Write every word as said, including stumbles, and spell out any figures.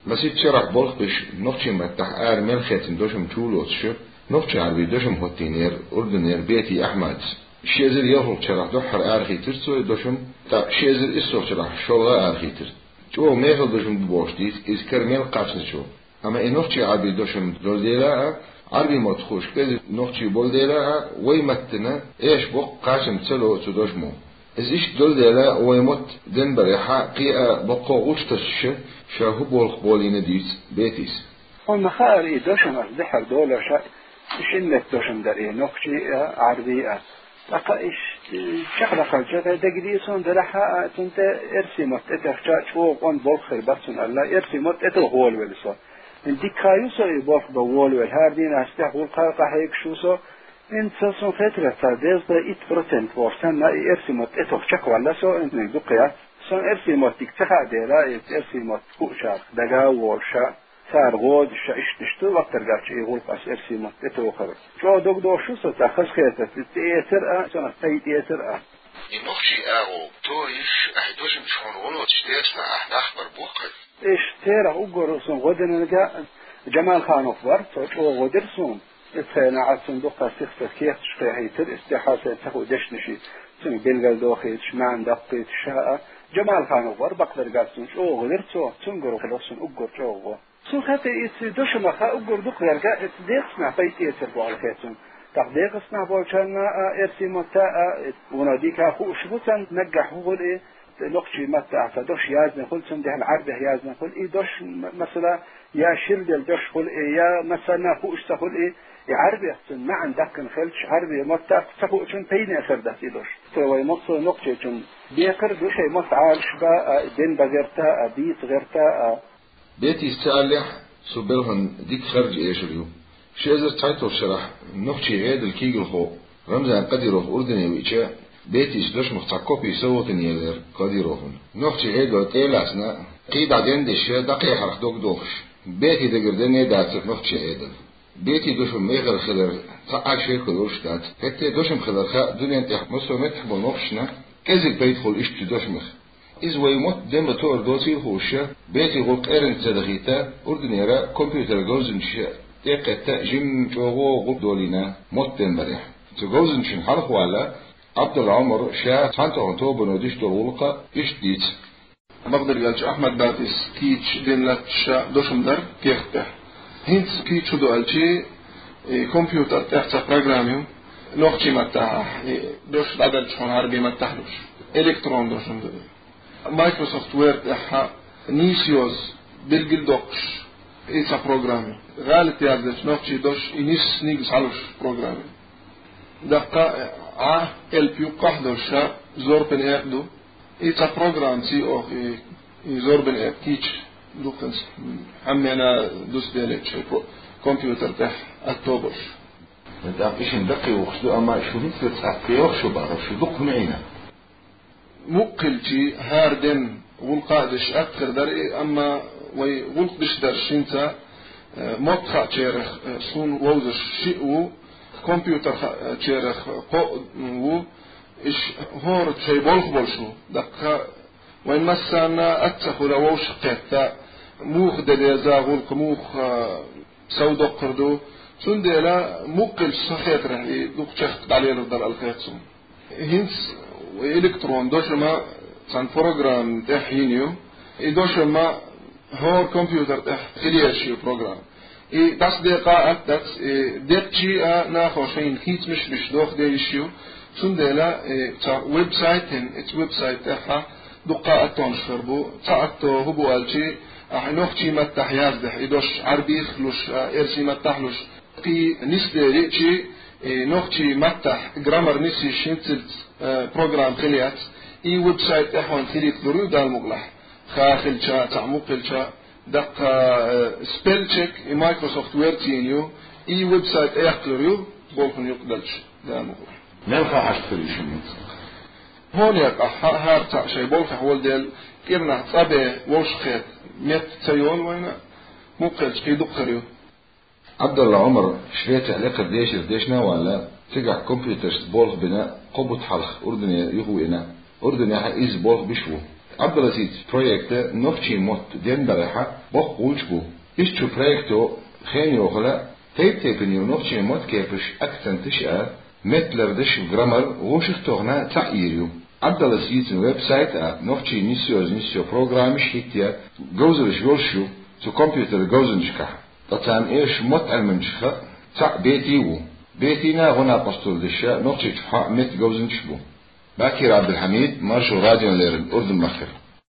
Масийтта шарахь болх беш, нохчийн маттахь ара мел хецна дошам чу лоцуш, нохчийн Ӏарбийн дошам хӀоттийнера Урдунера Бети Ахьмадас. Ши эзар ялхалгӀачу шарахь дуьххьара арахийтира цо и дошам, тӀаккха ши эзар иссалгӀачу шарахь шолгӀа арахийтира. ЧӀогӀа мехала дошам ду бохуш дийца иза кара мел кхаччалц. Амма и нохчийн Ӏарбийн дошам долу дела а, Ӏарбийн мотт хууш кӀезиг нохчий болу дела а, вай маттана эша боккха кхачам ца ло цу дошамо. Иза иштта долу дела, вай мотт денбарехьа кхин а боккха гӀулч тасча, ша хӀун болх болийна дийца Бетис. Хьуна ма хаара, и дошам ас дуьххьара долош а, шина метта дошам дара и, нохчий а, Ӏарбий а. ТӀаккха иштта чекхдаккхалча, дагадеа суна, делахь а, цунна тӀе эрсий мотт тӀетехча, чӀогӀа къонда болх хир бац цунна аьлла, эрсий мотт тӀетоха волавелла со. Дика ю со и болх бан волавелла, хӀара дийнахь тӀехь гӀуллакха къахьегаш ву со. ХӀинца сан хетарехь, цхьа дезткъе итт процент бохуш санна, и эрсий мотт тӀетоха чекхваьлла со, хӀинца дукха яц. Сан эрсий мотт дика ца хаьа дела, и эрсий мотт хуучарах дага а волуш а, цара гӀо а деш а, иштта-иштта вахтар гача и гӀуллакх ас эрсий мотт тӀетохар. ЧӀогӀа догдохуш ю со цхьа хазахетарца, и тӀеэцар а, сан ас тӀеэцар а. И нохчий агӀо торийш, ахь дошамчу хьуна гӀо лоцуш дешна ахь нах бар боху хаза. Иштта церах уггар сан гӀо динарг Джамалханов вара, цо чӀогӀа гӀо дира суна. Иза хенахь цунна дуккха сих-сиха кехаташ кхехьийтира, иза тӀаьхьа сайн ца хуу дешнаш, цуьнга билгалдохуьйтуш, маьӀна даккхийтуш а. Джамалханов вара бакъдерг а, цунна чӀогӀа гӀо дира цо, цуьнгара хилира суна уггар чӀогӀа гӀо. Цунна хета иза дошамах а уггар дукха верг а, иза декъаснахь пайда эцар бохуш хета цунна. ТӀаккха декъаснахь болчарна а, эрсий мотта а, иза вуно дика хууш бу царна, наггахь хӀун хуьлу и, нохчийн маттахь цхьа дош яздина хуьлу, цундела Ӏарбехь яздина хуьлу и дош, м-, масала, я шира делла дош хуьлу и, я массарна а хууш ца хуьлу и, и Ӏарбех цуьнан маьӀна даккхина хилча, Ӏарбийн маттахь ца хуучунна пайдехь хир дац и дош. Цо вай массо а нохчочунна декхар ду шайн мотт Ӏалашбан а, дин бан гӀерта а, дийца гӀерта а. Бетис ца аллехь, цу белхан дика харж эшар ю. Ши эзар цхьайтталгӀачу шарахь нохчийн Ӏедалан куьйгалхо Рамзан Кадыров Урдане веъча, Бетис дошамах цхьа копи совгӀатана елира Кадыровна. Нохчийн Ӏедал тӀе а лаьцна, кхин дӀа дендеш, дӀакхехьарх догдохуш, Бетин дагара денна а дацара нохчийн Ӏедал. Бетин дошам мехала хилар цхьа а шеко йолуш дац. ХӀетте а дошам хилар хаьа дуьнен тӀехь массо а меттехь болу нохчашна, кӀезиг пайда хуьлу иштта дошамах. Иза вай мотт ден бан тоар доцийла хууш, Бетин гӀуллакх эрна ца дахийта, Урданера компьютер говзанчаша тӀекхетта а жимма чӀогӀа гӀуллакх долийна мотт ден барехь. Цу говзанчашна хьалха ваьлла, Ӏабдулла Ӏумар ша цхьаьнатоха тобано деш долу гӀуллакх иштта дийца. Бакъдерг аьлча, Ахьмад Бетис кийча дина латташ дошам дара кехат тӀехь. ХӀинца кийча хӀун ду аьлча, и компьютер тӀехь цхьа программа ю, нохчийн маттахь, и дош дӀаделча хьуна Ӏарбийн маттахь луш. Электрон дошам ду. Microsoft Word тӀехь нийса йоза билгал доккхуш, и цхьа программа ю. ГӀалат яздечу нохчийн дош и нисса нигза хьалуш программа ю. Даккха Ӏа элп юккъахь долуш ша зорбан экъа ду. И цхьа программа ций оха и, и зорбан экъа кийча дуккханца хьаммена дусделлачу компьютер тӀехь атто болуш. ТӀаккха и шина даккхий вухуш ду, амма шу хӀинца цхьацца йоху шу бахар, шу дукха хӀума Ӏийна. Мукъа хилча, хӀара ден гӀуллакх а деш атта хир дара и, амма вай гӀуллакх деш дарш хӀинца, э, мотт хаьчарах, э, суна вовзаш шиъ ву, компьютер хаьчарах кхоъ ву, иш хӀора шайн болх болуш ву. Даккха вайн массарна а ца хуьла вовшах кхетта, муха де деза гӀуллакх, муха, э, сов доккхур ду. Цундела мукъа хилча со хетарехь и дукха чехка дӀалелар дара аьлла хета суна. ХӀинца электрон дошам а цхьана программа тӀехь йина ю. И дошам а хӀора компьютер тӀехь хила езаш ю программа. И дӀасадекъа а атта дац, и деттачий а нахо шайна хийцамаш а беш доха дезаш ю. Цундела, и цхьа веб-сайт йина, и цу веб-сайт тӀехь дуккха а аттонаш хир бу. Цхьа атто хӀун бу аьлча, ахь нохчийн маттахь яздехь, и дош Ӏарбих луш, а, эрсийн маттахь луш, кхин нисдели чи, и нохчийн маттахь граммар нисйиш хӀинццалц, э, программа хила яц, и веб-сайт тӀехь хьуна хилийта лур ю Дала мукъалахь. Ха хилча, цхьаъ мукъа хилча, даккха, э, спеллчек и Microsoft Word йина ю, и веб-сайт тӀеяккха лур ю, болхана юкъа далча, Дала мукъалахь. Мел ха хьашт хир ю шуна хӀинца? Хьуна яьккхахь, хӀа-, хӀара цхьаъ шайн болхехь волу дела, кӀирнахь цӀа бен вовшахкхетта метта ца йолу вайна, мукъа хилча кхин дукха хир ю. Ӏабдулла Ӏумар Швецехь лекхара дешар дешна а ваьлла, цигахь компьютершца болх бина кхо бутт хьалха Урдане юхавеана. Урданехь а иза болх беш ву. Ӏабдулазиз проекта нохчийн мотт денбарехьа боккха гӀулч бу. Иштта проекто хен йохала тайп-тайпана йола нохчийн мотт кепаш, акценташ а, метталардаш, граммар гӀошах тохна цхьаъ йир ю. Ӏабдулазизан веб-сайт а, нохчийн нисъёза нисъё программаш хӀитте говзалаш йолаш ю цу компьютер говзанчашкахь. Ткъа царна эш мотт Ӏилманчаха цхьаъ Бетий ву. Бетийна гӀо-накъостал деш нохчийчу хьа метта говзанчаш бу. Бакир Ӏабдулхьамид, Маршо радиона леррина Урдун махкара.